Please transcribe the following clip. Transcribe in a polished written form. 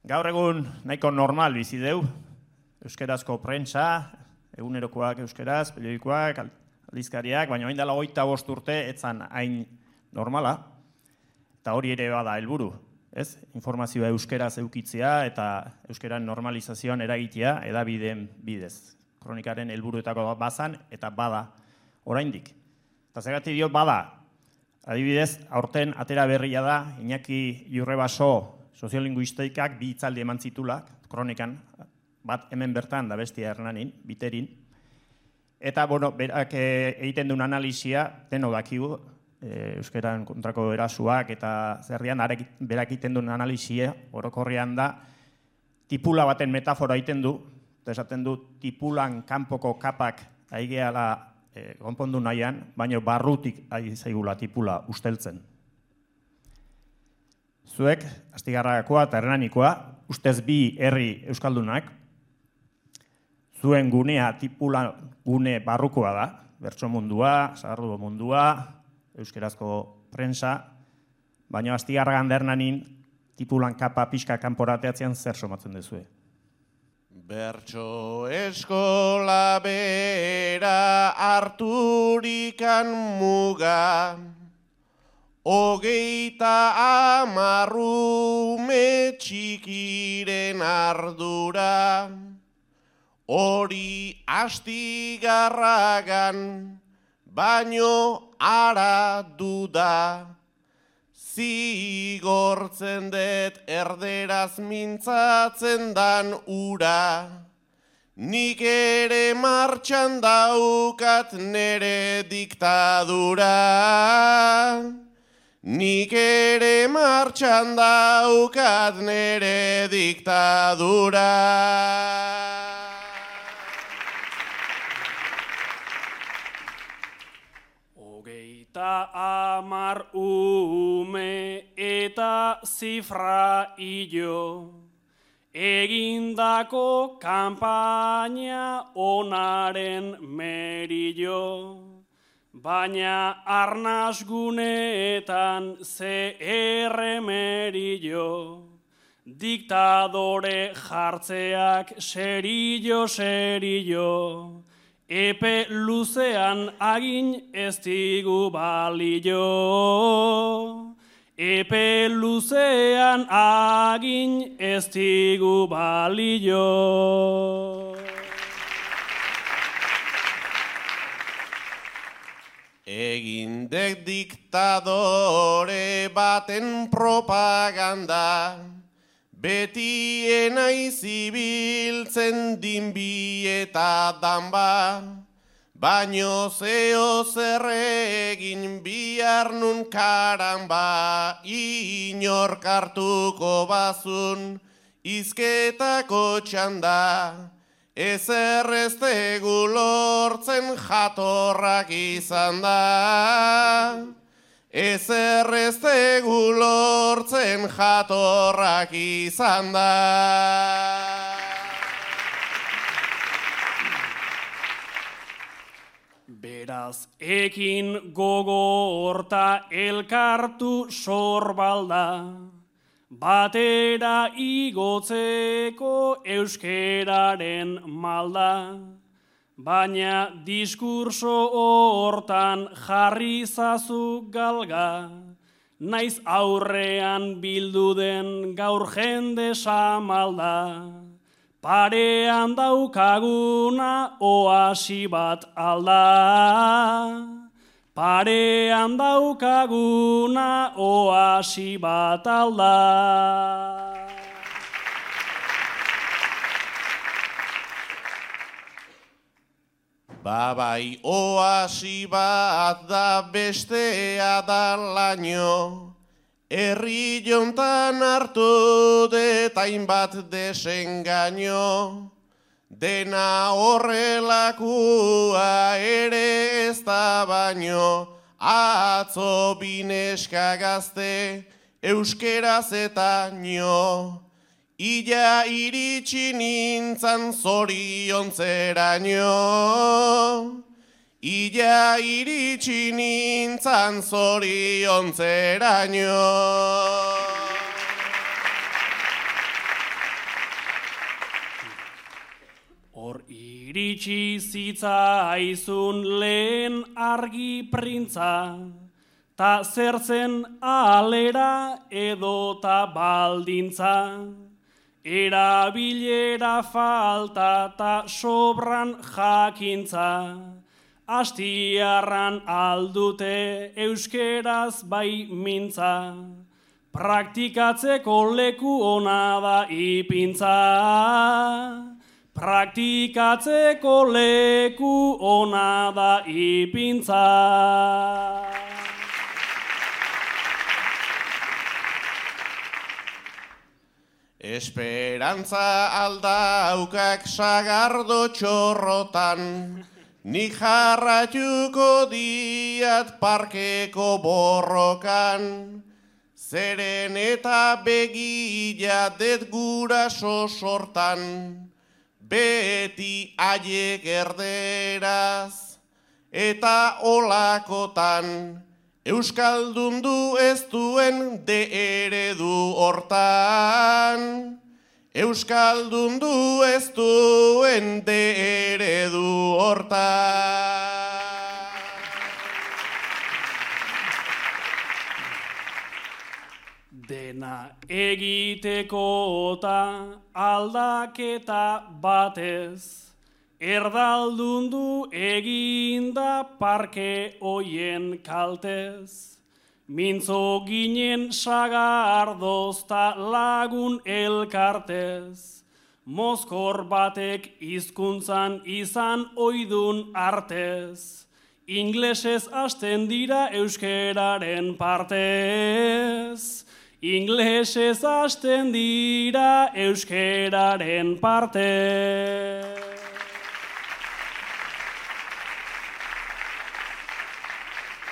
Gaur egun nahiko normal bizi deu, euskerazko prentsa, egunerokoak euskeraz, periodikoak, aldizkariak, baina orain dela 25 urte etzan hain normala, eta hori ere bada helburu, ez? Informazioa euskeraz eukitzea eta euskeran normalizazioan eragitea hedabideen bidez. Kronikaren helburuetako bazan eta bada oraindik. Eta zergatik diot bada, adibidez, aurten atera berria da, Iñaki Jurrebaso soziolinguistikak bi hitzaldi eman zitula, kronikan, bat hemen bertan da bestia Hernanin, Biterin. Eta, berak egiten duen analisia, deno dakigu, euskeran kontrako erasuak eta zerrian, berak egiten duen analisia, orokorrean da, tipula baten metafora egiten du, eta esaten du, tipulan kanpoko kapak aigeala konpondu nahian, baina barrutik ari zaigula tipula usteltzen. Zuek, Astigarragakoa eta Hernanikoa, ustez bi herri euskaldunak, zuen gunea tipula gune barrukoa da, bertso mundua, sagardu mundua, euskerazko prensa, baina Astigarragan da Hernanin tipulan kapa pixka kanporateatzean zer somatzen duzue. Bertso eskola bera harturikan muga, 30 ume txikiren ardura, hori Astigarragan baino ara duda, zigortzen dut erderaz mintzatzen dan ura, nik ere martxan daukat nere diktadura. Nik ere martxan daukat nere diktadura. Hogeita 10 ume eta zifra hilo, egindako kanpaina onaren merillo. Baina arnaz guneetan ze erremerillo, diktadore jartzeak serillo, epe luzean agin ez digu balio. Epe luzean agin ez digu balio. Egindek diktadore baten propaganda, betien aizibiltzen dinbi eta danba, baino zeo zer egin bihar nun karamba, inork hartuko bazun izketako txanda. Ezer ez tegu lortzen jatorrak izan da. Ezer ez tegu lortzen jatorrak izan da. Beraz, ekin gogorta elkartu sorbalda, batera igotzeko euskeraren malda, baina diskurso hortan jarri zazu galga, naiz aurrean bildu den gaur jende samalda, parean daukaguna oasi bat alda. Parean daukaguna oasi bat alda. Babai oasi bat da bestea da laino, herri jontan hartu detain bat desengaino. Dena horrelakua ere ez da baino, atzo bineska gazte euskeraz eta nio. Ila iritsi nintzan zoriontzeraino. Ila iritsi nintzan zoriontzeraino. Iritsi zitzaizun lehen argi printza, ta zertzen alera edota baldintza, erabilera falta ta sobran jakintza, astiarran aldute euskeraz bai mintza, praktikatzeko leku ona da ipintza. Praktikatzeko leku ona da ipintza. Esperantza aldaukak sagardo txorrotan, nik jarratuko diat parkeko borrokan, zeren eta begila det guraso sortan, beti haiek erderaz eta olakotan, euskaldundu ez duen de eredu hortan. Euskaldundu ez duen de eredu hortan. Dena egiteko eta aldaketa batez, erdaldundu eginda parke hoien kaltez. Mintzo ginen sagardoz ta lagun elkartez, mozkor batek hizkuntzan izan oidun artez, inglesez hasten dira euskeraren partez. Inglesez hasten dira euskeraren partez.